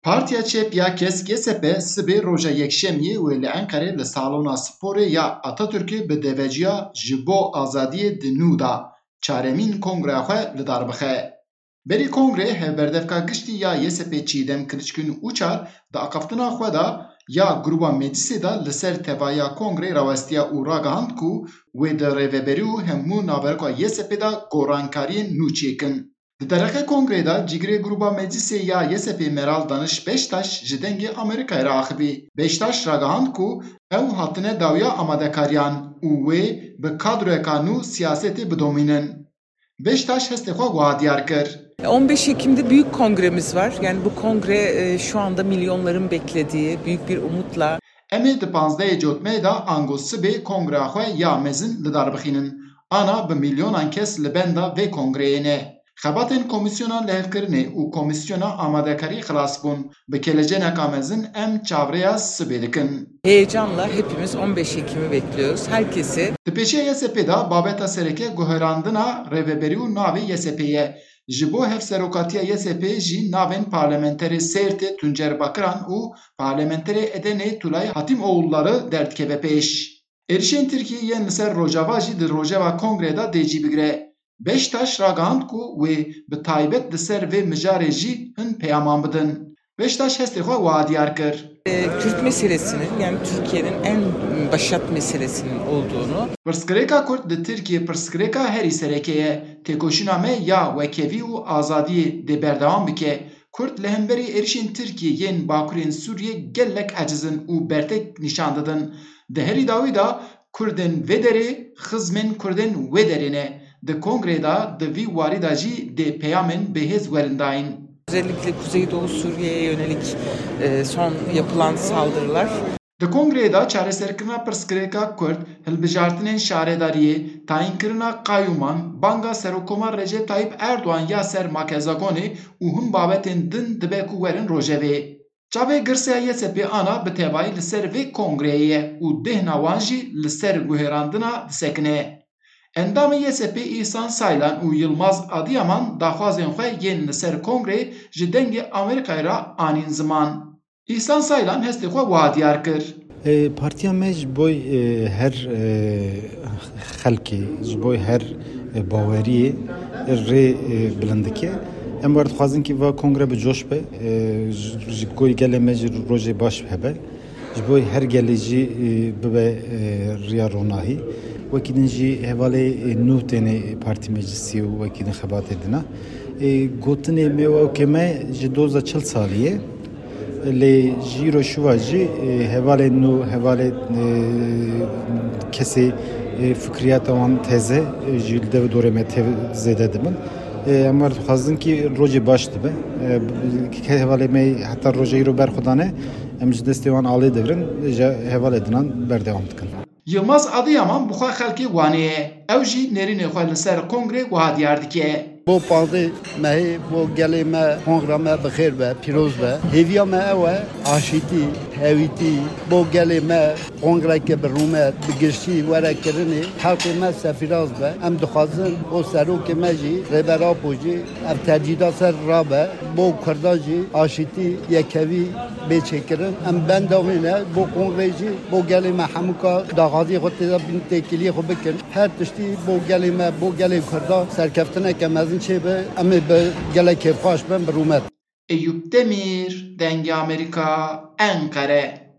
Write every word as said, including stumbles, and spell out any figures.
Partiya Çep ya Kesk Y S P sibê roja Yekşemiyê wê li Enqerê li salona sporê ya Atatürk'ê bi deveciya Ji bo Azadiyê di nû da çaremîn kongreya xwe li dar bixe. Berî kongrê hevberdevka giştî ya Y S P Çiğdem Kılıçgün Uçar di axaftina xwe de ya Gruba Meclisê de li ser tevahiya kongrê rawestiya û ragihand ku wê di rêveberî û hemû naverka Y S P de gorankariyên nû çêkin. Di dereqê kongrê de cîgirê Gruba Meclisê ya Y S P Meral Danış Beştaş ji Dengê Amerîkayê re axivî. Beştaş ragihand ku ew hatine dawiya amadekariyan û wê bi kadroyeka nû siyasetê bidomînin. Beştaş hestê xwe wiha diyar kir. On beş Ekim'de büyük kongremiz var. Yani bu kongre, e, şu anda milyonların beklediği büyük bir umutla. Em ê di panzdehê Cotmeyê de ango sibê kongreya xwe ya mezin li dar bixînin. Ana bi milyonan kes li benda vê kongreyê ne. Xebatên Komîsyona Lihevkirinê û Komîsyona Amadekarî xilas bûn. Bi keleceneka mezin em çavrêya sibê dikin. Heyecanla hepimiz on beş Ekim'i bekliyoruz. Herkese Di pêşiya Y S P de babeta sereke guherandina rêveberî û navê Y S P ye. Ji bo hevserokatiya Y S P jî navên parlamenterê Sêrtê Tuncer Bakiran û parlamenterê Edenê Tulay Hatîmoğulları derdikeve pêş. Êrişên Tirkiyê yên li ser Rojava jî di rojeva kongrê de dê cî bigire. Beştaş ragihand ku wê bi taybet li ser vê mijarê jî hin peyaman bidin. Beştaş hestê xwe wiha diyar kir. E, Kürt meselesinin, yani Türkiye'nin en başat meselesinin olduğunu. Pirsgirêka Kurd li Tirkiyê pirsgirêka herî sereke ye. Têkoşîna me ya wekevî û azadiyê dê berdewam bike. Kurd li hemberî êrişên Tirkiyê yên bakurên Sûriyê gelek eciz in û bertek nîşan didin. Di herî dawî de Kurdên vê derê xizmên Kurdên wê derê ne. Di kongrê de di vî warî de jî dê peyamên bihêz werin dayîn. Özellikle Kuzeydoğu Suriye'ye yönelik, e, son yapılan saldırılar. Di kongreyê de çareserkirina pirsgirêka Kurd, hilbijartinên şaredariyê, tayînkirina qayûman, banga Serokkomar Recep Tayyip Erdogan ya ser makezagonê û hin babetên din dibe ku werin rojevê. Çavê girseya Y S P ana bi tevayî li ser vê kongreyê ye û dêhna wan jî li ser guherandina disekine. Endamê Y S P Îhsan Saylan û Yilmaz Adiyaman daxwazên xwe yên li ser kongreyê ji Dengê Amerîkayê re anîn ziman. Îhsan Saylan hestê xwe wiha diyar kir. E, partiya me ji bo, e, her, e, xelkê, ji bo her, e, baweriyê rê, e, bilind dike. Em wer dixwazin kî va kongre bi coş be, e, ji, ji bo gelê me jî rojê baş hebe. Ji bo her gelê jî, e, bibe, e, riya ronahî. Wekî din jî hevalê, e, nû têne partî meclisî û wekî din xebatê dina. E, gotinê me û ewkê me ji doza çil salî ye. Lê ji îro şiva jî, e, hevalên nû, hevalê, e, kesê, e, fikriyata wan teze, e, ji li dev dorê me tev zêde dibin. E, em wer dixwazin kî rojê baş dibe. E, ke hevalê me heta roja îro berxwedane, em ji destê wan alê digirin, ji hevalê dinan berdewam dikin. Yilmaz Adiyaman bi xwe xelkê Wanê ye. Ew jî nêrînê xwe li ser kongrê wiha diyar dike. Bo panzdeh mehê bo gelê me, kongra me bi xêr be, pîroz be. Hêviya me ew e, aşîtî, hewîtî, bo gelê me kongreke bi rûmet, bi giştî were kirinê. Xelkê me sefîraz be. Em dixwazin bo serokê me jî, Rêber Apo jî ev tecrîda ser rabe. Bo Kurdan jî aşîtî, yekevî bê çêkirin. Em benda wê ne, bo kongrê jî, bo gelê me hemûka daxwaziyê xwe tê de bînin, têkiliyê xwe bikin. Her tiştî bo gelê me, bo gelê Kurda serkeftineke mezin çêbe, em ê bi gelek kêfxweş bin, bi rûmet. Eyûp Demîr, Dengê Amerîka, Enqere.